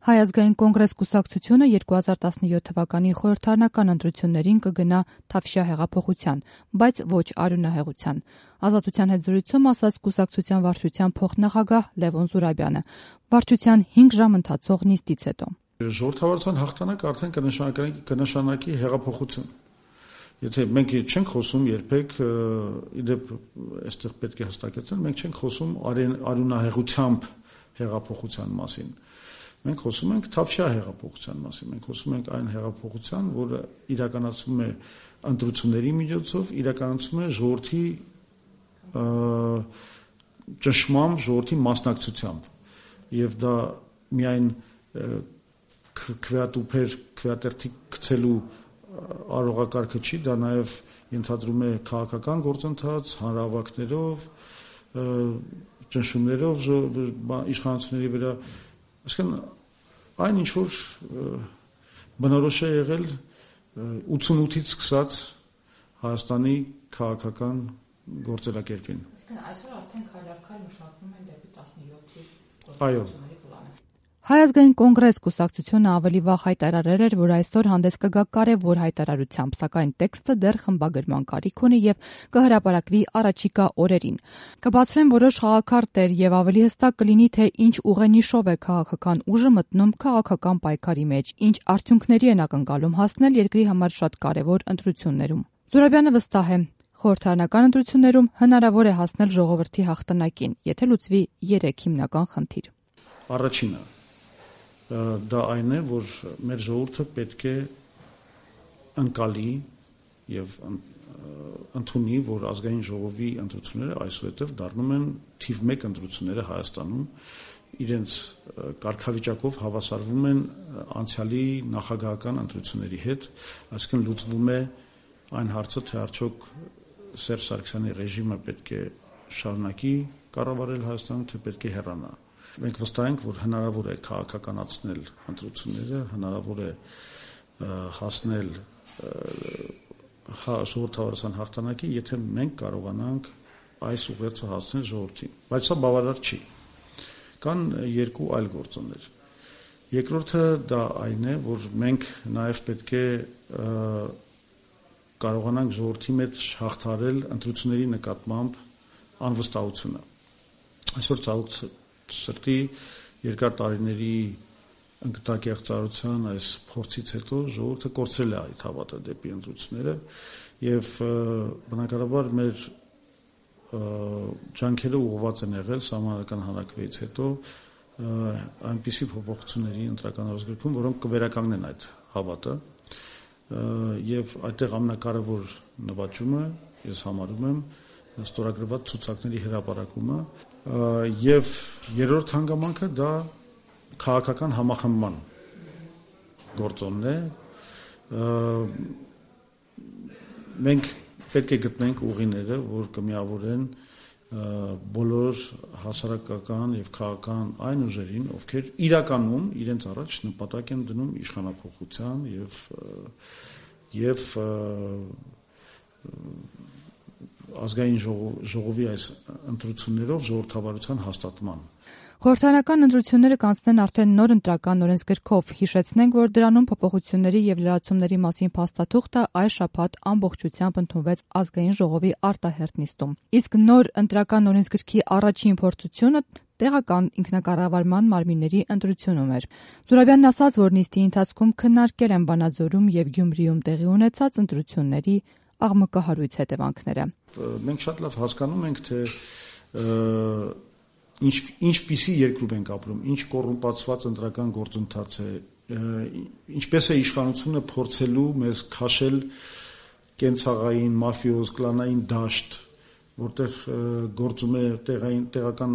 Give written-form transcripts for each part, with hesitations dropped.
Հայ ազգային կոնգրես կուսակցությունը 2017 թվականի խորհրդարանական ընտրություններին կգնա Թավշյա հեղափոխության, բայց ոչ արյունահեղության։ Ազատության հետ զրույցում ասաց կուսակցության վարչության փոխնախագահ Լևոն Զուրաբյանը։ Վարչության 5 ժամ ընթացող նիստից հետո։ Ժողովրդավարության հաղթանակը արդեն կնշանակի հեղափոխություն։ Եթե մենք չենք խոսում երբեք, իդեպ այստեղ պետք է հստակեցնել, մենք չենք խոսում արյունահեղությամբ հեղափոխության մասին։ Մենք խոսում ենք Թավշյա հեղափոխության մասին, մենք խոսում ենք այն հեղափոխության, որը իրականացվում է ընտրությունների միջոցով, իրականացվում է ժողովրդի ճնշմամբ, ժողովրդի մասնակցությամբ, եւ դա միայն քվեատերթի գցելու արողակարգը չի, դա նաև ենթադրում է քաղաքական գործընթաց, հանրահավաքներով, ճնշումներով իշխանությունների վրա, այսինքն այն ինչ որ բնորոշ է եղել 88-ից սկսած Հայաստանի քաղաքական գործելակերպին։ Այսինքն այսօր արդեն քայլ մշակվում են դեպի 17-ի այո։ Հայ ազգային կոնգրես կուսակցությունը ավելի վաղ հայտարարել էր, որ այսօր հանդես կգա կարևոր հայտարարությամբ, սակայն տեքստը դեռ խմբագրման կարիք ունի եւ կհրապարակվի առաջիկա օրերին։ Կբացվեն որոշ խաղաքարտեր եւ ավելի հստակ կլինի, թե ինչ ուղենիշով է քաղաքական ուժը մտնում քաղաքական պայքարի մեջ, ինչ արդյունքների են ակնկալում հասնել երկրի համար շատ կարևոր ընտրություններում։ Զուրաբյանը վստահ է, խորհրդարանական ընտրություններում հնարավոր է հասնել ժողովրդի հաղթանակին, եթե լուծվի 3 հիմնական խնդիր։ Առաջինը դա այն է, որ մեր ժողովուրդը պետք է ընկալի եւ ընդունի, որ ազգային ժողովի ընտրությունները այսուհետև դառնում են թիվ 1 ընտրությունները Հայաստանում, իրենց կարգավիճակով հավասարվում են անցյալի նախագահական ընտրությունների հետ, այսինքն լուծվում է այն հարցը, թե արդյոք Սերժ Սարգսյանի ռեժիմը պետք է շարունակի կառավարել Հայաստանում, թե պետք է հեռանա։ Մենք վստահ ենք, որ հնարավոր է քաղաքականացնել ընտրությունները, հնարավոր է հասնել ժողովրդավարության հաղթանակի, եթե մենք կարողանանք այս ուղերձը հասցնել ժողովրդին։ Բայց սա բավարար չի։ Կան 2 այլ գործոններ։ Երկրորդը դա այն է, որ մենք նաև պետք է կարողանանք ժողովրդի մեջ հաղթահարել ընտրությունների նկատմամբ անվստահությունը։ Այսօր ցավոք սրտի երկար տարիների ընկտակեղծարության այս փորձից հետո ժողովուրդը կորցրել է այդ հավատը դեպի ընտրությունները եւ բնականաբար մեր ջանքերը ուղղված են եղել սահմանադրական հանրաքվեից հետո այնպիսի փոփոխությունների ընտրական օրենսգրքում, որոնք կվերականգնեն այդ հավատը եւ այդտեղ ամենակարևոր նվաճումը ես համարում եմ ստորագրված ցուցակների հրապարակումը եւ երրորդ հանգամանքը դա քաղաքական համախմբման գործոնն է։ Մենք պետք է գտնենք ուղիները, որ կմիավորեն բոլոր հասարակական եւ քաղաքական այն ուժերին, ովքեր իրականում իրենց առաջ նպատակ են դնում իշխանափոխության եւ ազգային ժողովի այս ընտրություններով ժողովրդավարության հաստատման։ Խորհրդարանական ընտրությունները կանցնեն արդեն նոր ընտրական օրենսգրքով։ Հիշեցնենք, որ դրանում փոփոխությունների եւ լրացումների մասին փաստաթուղթը այս շաբաթ ամբողջությամբ ընդունվեց ազգային ժողովի արտահերթ նիստում։ Իսկ նոր ընտրական օրենսգրքի առաջին փորձությունը տեղական ինքնակառավարման մարմինների ընտրությունում էր։ Զուրաբյանն ասաց, որ նիստի ընթացքում քննարկել են Վանաձորում եւ Գյումրիում տեղի ունեցած ընտրությունների աղմկահարույց հետևանքները։ Մենք շատ լավ հասկանում ենք, թե ինչպիսի երկրում ենք ապրում, ինչ կոռումպացված ընտրական գործընթաց է, ինչպես է իշխանությունը փորձելու մեզ քաշել կենցաղային, մաֆիոզ, կլանային դաշտ, որտեղ գործում է տեղական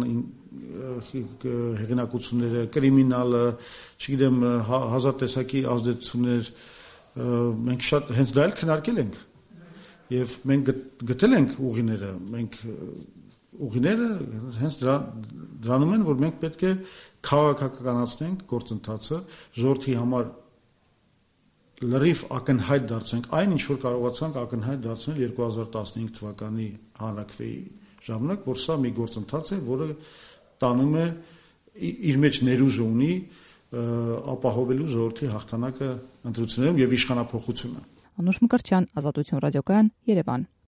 հեղինակությունները, կրիմինալը, չգիտեմ, հազար տեսակի ազդեցություններ, մենք շատ հենց դա էլ քննարկել ենք եւ մենք գտել ենք ուղիները, ուղիները հենց դրանում են, որ մենք պետք է քաղաքականացնենք գործընթացը, ժողովրդի համար լրիվ ակնհայտ դարձնենք այն, ինչ որ կարողացանք ակնհայտ դարձնել 2015 թվականի հանրաքվեի ժամանակ, որ սա մի գործընթաց է, որը տանում է իր մեջ ներուժը ունի ապահովելու ժողովրդի հաղթանակը ընտրություններում եւ իշխանափոխությունը։ Անուշ Մկրտչյան, Ազատություն ռադիոկայան, Երևան։